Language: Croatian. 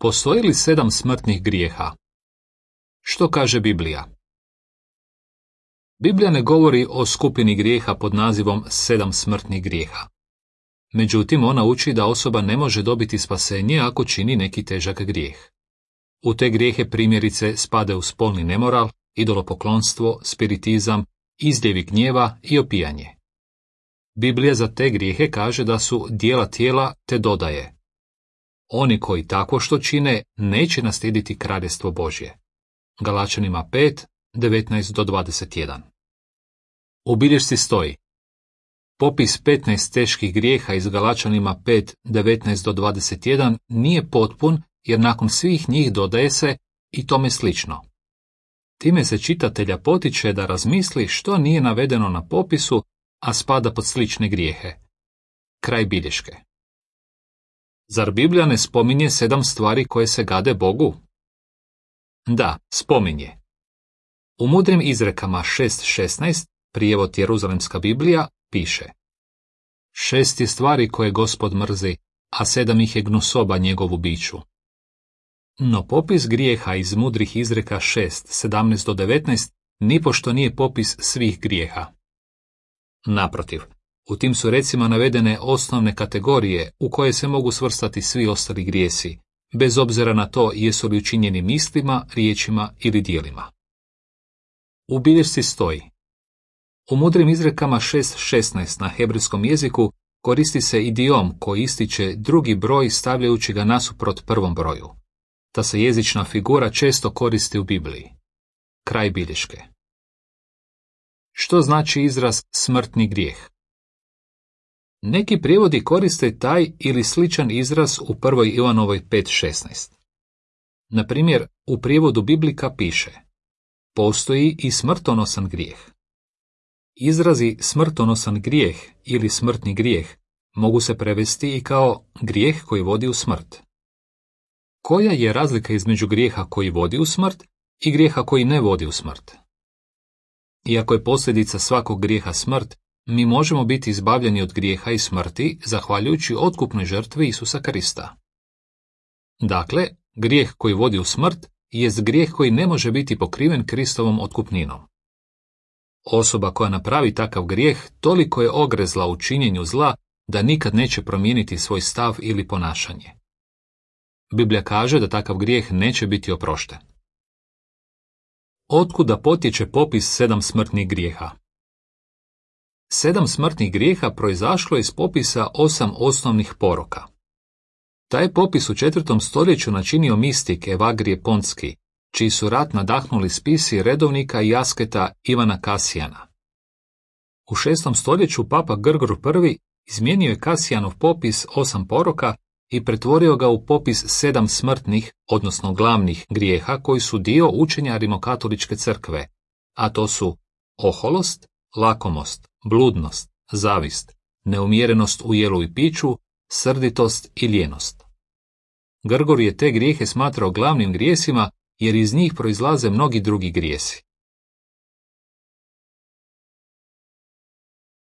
Postoji li 7 smrtnih grijeha? Što kaže Biblija? Biblija ne govori o skupini grijeha pod nazivom 7 smrtnih grijeha. Međutim, ona uči da osoba ne može dobiti spasenje ako čini neki težak grijeh. U te grijehe primjerice spadaju spolni nemoral, idolopoklonstvo, spiritizam, izljevi gnjeva i opijanje. Biblija za te grijehe kaže da su djela tijela te dodaje: oni koji tako što čine neće naslijediti kraljevstvo Božje. Galačanima 5, 19-21. U bilješci stoji: popis 15 teških grijeha iz Galačanima 5, 19-21 nije potpun jer nakon svih njih dodaje se i tome slično. Time se čitatelja potiče da razmisli što nije navedeno na popisu, a spada pod slične grijehe. Kraj bilješke. Zar Biblija ne spominje 7 stvari koje se gade Bogu? Da, spominje. U mudrim izrekama 6.16, prijevod Jeruzalemska Biblija, piše: 6 je stvari koje Gospod mrzi, a 7 ih je gnusoba njegovu biću. No popis grijeha iz mudrih izreka 6, 17-19 nipošto nije popis svih grijeha. Naprotiv, u tim su recimo navedene osnovne kategorije u koje se mogu svrstati svi ostali grijesi, bez obzira na to jesu li učinjeni mislima, riječima ili djelima. U bilješci stoji: u mudrim izrekama 6.16 na hebrejskom jeziku koristi se idiom koji ističe drugi broj stavljajući ga nasuprot prvom broju. Ta se jezična figura često koristi u Bibliji. Kraj bilješke. Što znači izraz smrtni grijeh? Neki prijevodi koriste taj ili sličan izraz u 1. Ivanovoj 5.16. Na primjer, u prijevodu Biblika piše: postoji i smrtonosan grijeh. Izrazi smrtonosan grijeh ili smrtni grijeh mogu se prevesti i kao grijeh koji vodi u smrt. Koja je razlika između grijeha koji vodi u smrt i grijeha koji ne vodi u smrt? Iako je posljedica svakog grijeha smrt, mi možemo biti izbavljeni od grijeha i smrti zahvaljujući otkupnoj žrtvi Isusa Krista. Dakle, grijeh koji vodi u smrt jest grijeh koji ne može biti pokriven Kristovom otkupninom. Osoba koja napravi takav grijeh toliko je ogrezla u činjenju zla da nikad neće promijeniti svoj stav ili ponašanje. Biblija kaže da takav grijeh neće biti oprošten. Otkuda potječe popis 7 smrtnih grijeha? 7 smrtnih grijeha proizašlo je iz popisa 8 osnovnih poroka. Taj popis u 4. stoljeću načinio mistik Evagrije Pontski, čiji su rat nadahnuli spisi redovnika i asketa Ivana Kasijana. U 6. stoljeću papa Grgor I izmijenio je Kasijanov popis 8 poroka i pretvorio ga u popis 7 smrtnih, odnosno glavnih grijeha koji su dio učenja Rimokatoličke crkve, a to su oholost, lakomost, bludnost, zavist, neumjerenost u jelu i piću, srditost i lijenost. Grgor je te grijehe smatrao glavnim grijesima jer iz njih proizlaze mnogi drugi grijesi.